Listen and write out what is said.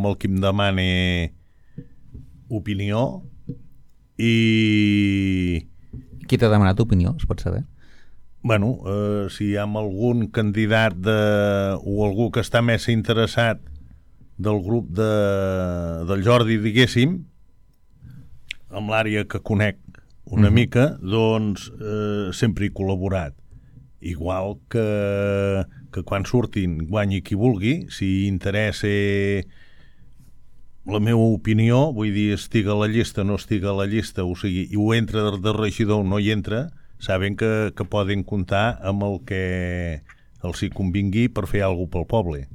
amb el que em demana opinió. I qui t'ha demanat opinió, es pot saber? Bueno, si hi ha algun candidat o algú que està més interessat del grup del Jordi, diguéssim, amb l'àrea que conec una mica, doncs sempre he col·laborat. Igual que quan surtin guanyi qui vulgui, si interessa la meva opinió, vull dir, estiga a la llista, no estiga a la llista, o sigui, i ho entra de regidor o no hi entra, saben que poden comptar amb el que els hi convingui per fer alguna cosa pel poble.